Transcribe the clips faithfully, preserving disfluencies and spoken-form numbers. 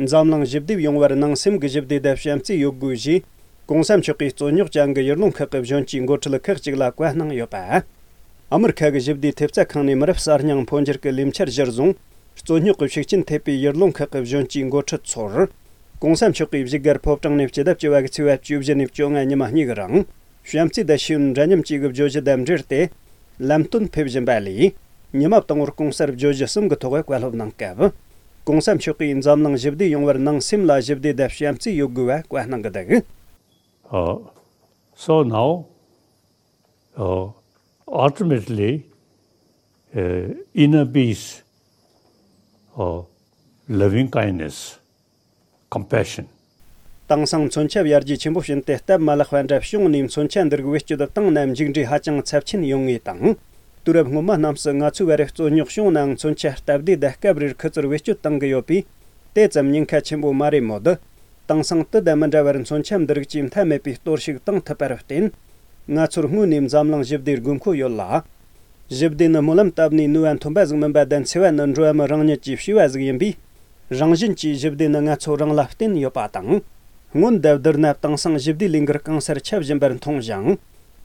འཛམ་གླིང་ཞི་བདེ་ཡོང་བར་ནང་སེམས་ཀྱི་ཞི་བདེ་དང་བྱམས་བརྩེ་ཡོད་དགོས་ཞེས། གོང་ས་མཆོག་གིས་རྩོད་རྙོག་ཅན་གྱི་ཡུལ་ལུང་ཁག་གི་གཞོན་སྐྱེས་འགོ་ཁྲིད་ཁག་ཅིག་ལ་བཀའ་གནང་ཡོད་པ། ཨ་མི་རི་ཁ་གི་ཞི་བདེའི་ཐེབས་རྩ་ཁང་ནས་མི་རབས་གསར་རྙིང་འཕོ་འགྱུར་གྱི་ལས་འཆར་གཞིར་བཟུང་། རྩོད་རྙོག་གི་ཤུགས་རྐྱེན་ཐེབས་པའི་ཡུལ་ལུང་ཁག་གི་གཞོན་སྐྱེས་འགོ་ཁྲིད་ཚོར། གོང་ས་མཆོག་གིས་བཞུགས་སྒར་ཕོ་བྲང་ནས་སྤྱི་ཟླ་བཅུ་བ་གི་ཚེས་པ་བཅུ་བཞི་ནས་བཅོ་ལྔ་ཉི་མ་གཉིས་ཀྱི་རིང་། བྱམས་བརྩེ་དང་ཤེས་ཡོན་འདྲ་མཉམ་བཅས་ཀྱི་བརྗོད་གཞི་དང་འབྲེལ་ཏེ། ལམ་སྟོན་ཕེབས་བཞིན་པ་ལས། ཉི་མ་དང་པོར་གོང་གསལ་བརྗོད་གཞི་གསུམ་གྱི་ཐོག་བཀའ་སློབ་གནང་སྐབས། གོང་ས་མཆོག་གིས་འཛམ་གླིང་ཞི་བདེ་ཡོང་བར་ནང་སེམས་ལ་ཞི་བདེ་དང་བྱམས་བརྩེ་ཡོད་དགོས་པ་བཀའ་གནང་གི་འདུག Uh, so now, uh, ultimately, uh, inner peace, uh, loving kindness, compassion. དེང་སང་མཚོན་ཆ་ཡར་རྒྱས་ཆེན་པོ་ཕྱིན་ཏེ་སྟབས་མ་ལེགས་པ་འདྲ་བྱུང་ནས་མཚོན་ཆ་འདི་རིགས་བེད་སྤྱོད་བཏང་ན་མཇུག་འབྲས་ཧ་ཅང་ཚབས་ཆེན་ཡོང་ངེས་དང་། དུས་རབས་སྔོན་མ་རྣམས་སུ་ང་ཚོའི་བར་རྩོད་རྙོག་བྱུང་ནའང་མཚོན་ཆ་སྟབས་བདེ་དང་སྐབས་རེར་ཁུ་ཚུར་བེད་སྤྱོད་གཏང་གི་ཡོད་པས། དེ་ཙམ་ཉེན་ཁ་ཆེན་པོ་མ་རེད་མོད། དེང་སང་དུས་དང་མི་འདྲ་བར་མཚོན་ཆ་འདི་རིགས་ཀྱིས་མཐའ་མེད་པའི་གཏོར་བཤིག་གཏང་ཐུབ་པར་བརྟེན། ང་ཚོར་སྔོན་ནས་འཛམ་གླིང་ཞི་བདེའི་དགོས་མཁོ་ཡོད་ལ། ཞི་བདེ་ནི་སྨོན་ལམ་བཏབ་ནས་ནུས་པ་ཐོན་པ་ཟིག་མིན་པ་དང་། འཚེ་བ་ནི་འགྲོ་བ་མི་རང་ཉིད་ཀྱིས་བྱས་པ་ཟིག་ཡིན་པས། རང་བཞིན་གྱིས་ཞི་བདེ་ནི་ང་ཚོ་རང་ལ་བརྟེན་ཡོད་པ་དང་། སྔོན་དང་བསྡུར་ན་དེང་སང་ཞི་བདེའི་ལས་འགུལ་གང་སར་ཁྱབ་བཞིན་པར་མཐོང་ཞིང་།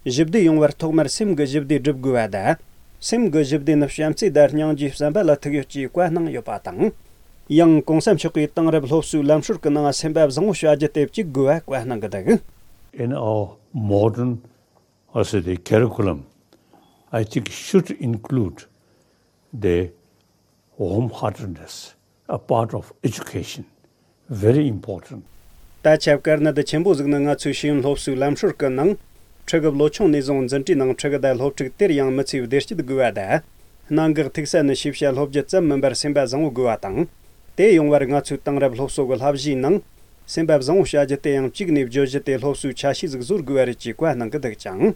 ཞི་བདེ་ཡོང་བར་ཐོག་མར་སེམས་ཀྱི་ཞི་བདེ་སྒྲུབ་དགོས་པ་དང་། སེམས་ཀྱི་ཞི་བདེ་ནི་བྱམས་བརྩེ་དང་སྙིང་རྗེའི་བསམ་པ་ལ་ཐུག་ཡོད་ཅེས་བཀའ་གནང་ཡོད་པ་དང་། ཡང་གོང་ས་མཆོག་གིས་དེང་རབས་སློབ་གསོའི་ལམ་སྲོལ་གྱི་ནང་སེམས་པ་བཟང་བོ་བྱ་རྒྱུ་དེ་གཅིག་དགོས་པ་བཀའ་གནང་གི་འདུག In our modern, I say, the curriculum, I think, should include the wholeheartedness, a part of education. Very important. ད་ཆ་དཀའ་གནད་ཆེན་པོ་ཟིག་ནི་ང་ཚོའི་ཤེས་ཡོན་སློབ་གསོའི་ལམ་སྲོལ་གྱི་ནང་། ཕྲུ་གུ་ལོ་ཆུང་ནས་བཟུང་འཛིན་གྲྭའི་ནང་ཕྲུ་གུ་དང་སློབ་ཕྲུག་དེར་ཡང་མི་ཚེའི་བདེ་སྐྱིད་དགོས་པ་དང་། གནད་འགག་ཐུག་ས་ནི་ཤེས་བྱ་སློབ་རྒྱུ་ཙམ་མིན་པར་སེམས་པ་བཟང་བོ་དགོས་པ་དང་། དེ་ཡོང་བར་ང་ཚོས་དེང་རབས་སློབ་གསོ་གི་བསླབ་གཞིའི་ནང་། སེམས་པ་བཟང་བོ་བྱ་རྒྱུ་དེ་ཡང་གཅིག་ནས་བརྗོད་གཞི་དེ་སློབ་གསོའི་ཆ་ཤས་ཟིག་བཟོ་དགོས་པ་རེད་ཅེས་བཀའ་གནང་གི་འདུག་ཅིང་།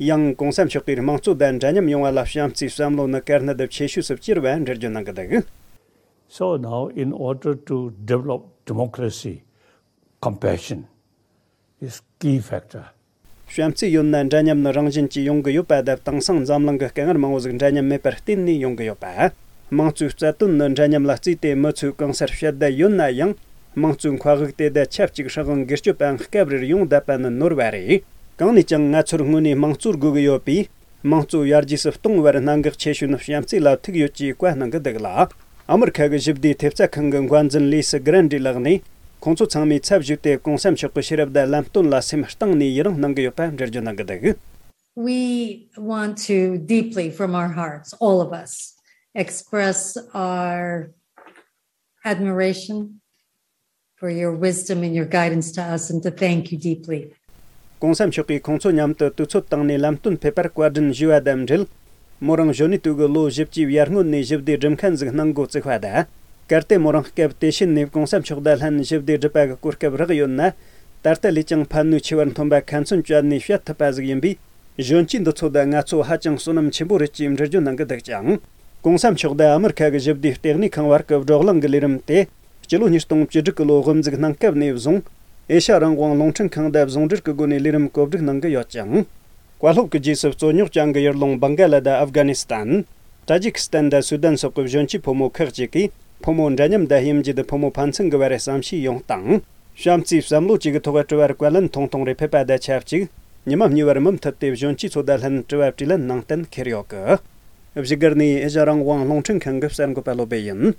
ཡང་གོང་ས་མཆོག་གིས་དམངས་གཙོ་དང་འདྲ་མཉམ་ཡོང་བ་ལ་བྱམས་བརྩེའི་བསམ་བློ་ནི་དཀའ་གནད་ཆེ་ཤོས་སུ་གྱུར་བ་འགྲེལ་བརྗོད་གནང་གི་འདུག So now, in order to develop democracy, compassion is key factor. བྱམས་བརྩེ་ཡོད་ན་འདྲ་མཉམ་ནི་རང་བཞིན་གྱིས་ཡོང་གི་ཡོད་པ་དང་། དེང་སང་འཛམ་གླིང་གི་དཀའ་ངལ་མང་བོ་ཟིག་འདྲ་མཉམ་མེད་པར་བརྟེན་ནས་ཡོང་གི་ཡོད་པ། དམངས་གཙོའི་རྩ་དོན་ནི་འདྲ་མཉམ་ལ་བརྩིས་ཏེ། མི་ཚོས་གང་སར་ཕྱི་བལྟས་ཡོད་ན་ཡང་། དམངས་གཙོའི་མཁའ་དབུགས་དེ་དང་ཆབས་ཅིག་སྲིད་དབང་སྒེར་གཅོད་པའང་སྐབས་རེར་ཡོང་བསྡད་པ་ནི་ནོར་བ་རེད། གང་ནས་ཀྱང་ང་ཚོར་སྔོན་ནས་དམངས་གཙོ་དགོས་ཀྱི་ཡོད་པས། དམངས་གཙོ་ཡར་རྒྱས་སུ་གཏོང་བར་གནད་འགག་ཆེ་ཤོས་ནི་བྱམས་བརྩེ་ལ་ཐུག་ཡོད་ཅེས་བཀའ་གནང་གི་འདུག་ལ། ཨ་མི་རི་ཁ་གི་ཞི་བདེའི་ཐེབས་རྩ་ཁང་གི་འགོ་འཛིན་ལི་སི་གྷི་རན་ཌི་ལགས་ནས། ཁོང་ཚོ་ཚང་མའི་ཚབ་ཞུས་ཏེ། གོང་ས་མཆོག་གི་ཤེས་རབ་དང་ལམ་སྟོན་ལ་སེམས་གཏིང་ནས་ཡི་རངས་གནང་གི་ཡོད་པ་འགྲེལ་བརྗོད་གནང་གི་འདུག We want to deeply, from our hearts, all of us, express our admiration for your wisdom and your guidance to us, and to thank you deeply. གོང་ས་མཆོག་གིས་ཁོང་ཚོ་མཉམ་དུ་དུས་ཚོད་བཏང་ནས་ལམ་སྟོན་ཕེབས་པར་བཀའ་དྲིན་ཞུས་པ་དང་འབྲེལ། མོ་རང་གཞོན་ནུའི་དུས་ཀྱི་ལོ་བཞི་བཅུའི་ཡར་སྔོན་ནས་ཞི་བདེ་སྒྲུབ་མཁན་ཟིག་སྣང་འགོ་བཙུགས་པ་དང་། གལ་ཏེ་མོ་རང་སྐབས་དེ་ཤེད་ནས་གོང་ས་མཆོག་དང་ལྷན་ཞི་བདེ་སྒྲུབ་པ་གི་གོ་སྐབས་རག་ཡོད་ན། ད་ལྟ་ལས་ཀྱང་ཕན་ནུས་ཆེ་བར་འཐོན་པ་ཁ་ཚོན་གཅོད་ནས་བཤད་ཐུབ་པ་ཟིག་ཡིན་པས། གཞོན་སྐྱེས་འདི་ཚོ་དང་ང་ཚོ་ཧ་ཅང་བསོད་ནམས་ཆེན་པོ་རེད་ཅེས་འགྲེལ་བརྗོད་གནང་གི་འདུག་ཅིང་། གོང་ས་མཆོག་དང་ཨ་མི་རི་ཁ་གི་ཞི་བདེའི་ལྟེ་གནས་ཁང་བར་གྱི་བགྲོ་གླེང་གི་ལས་རིམ་དེ། སྤྱི་ལོ་ཉིས་སྟོང་བཅུ་དྲུག་གི་ལོ་དབུ་འཛུགས་གནང་སྐབས་ནས་བཟུང་། ཨེ་ཤ་རང་དབང་རླུང་འཕྲིན་ཁང་དང་ཟུང་འབྲེལ་གྱི་སྒོ་ནས་ལས་རིམ་གོ་སྒྲིག་གནང་གི་ཡོད་ཅིང་། བཀའ་སློབ་ཀྱི་རྗེས་སུ་རྩོད་རྙོག་ཅན་གྱི་ཡུལ་ལུང་བང་ག་ལ་དང་ཨབ་གྷ་ནི་སི་ཐན། ཏ་ཇིག་སི་ཐན་དང་སུ་དན་སོགས་ཀྱི་གཞོན་སྐྱེས་ཕོ་མོ་ཁག་ཅིག་གིས། ཕོ་མོ་འདྲ་མཉམ་དང་དབྱེ་འབྱེད། ཕོ་མོ་ཕན་ཚུན་གྱི་བར་བསམ་ཤེས་ཡོང་སྟངས། བྱམས་བརྩེའི་བསམ་བློ་བཅས་ཀྱི་ཐོག་དྲི་བ་བཀའ་ལན་ཐུང་ཐུང་རེ་ཕེབས་པ་དང་ཆབས་ཅིག་ཉི་མ་གཉིས་པར་མུ་མཐུད་དེ་གཞོན་སྐྱེས་ཚོ་དང་ལྷན་དྲི་བ་དྲིས་ལན་གནང་གཏན་འཁེལ་ཡོད་གི། བཞུགས་སྒར་ནས་ཨེ་ཤ་རང་དབང་རླུང་འཕྲིན་ཁང་གི་གསར་འགོད་པ་བློ་བྷེ་ཡིན།